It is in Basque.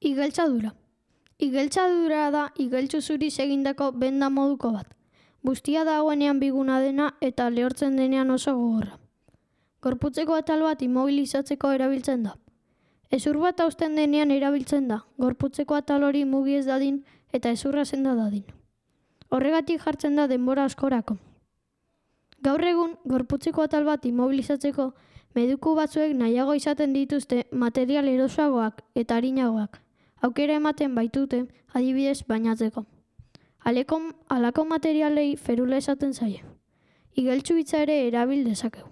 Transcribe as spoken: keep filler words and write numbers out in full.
Igeltsadura. Igeltsadura da igeltsu zuriz egindako benda moduko bat. Bustia dagoenean biguna dena eta lehortzen denean oso gogorra. Gorputzeko atal bat immobilizatzeko erabiltzen da. Hezur bat hausten denean erabiltzen da, gorputzeko atal hori mugi ez dadin eta hezurra senda dadin. Horregatik jartzen da denbora askorako. Gaur egun, gorputzeko atal bat immobilizatzeko mediku batzuek nahiago izaten dituzte material erosoagoak eta arinagoak. Aukera ematen baitute, adibidez bainatzeko. Aleko, alako materialei ferula esaten zaie. Igeltsu hitza ere erabil dezakegu.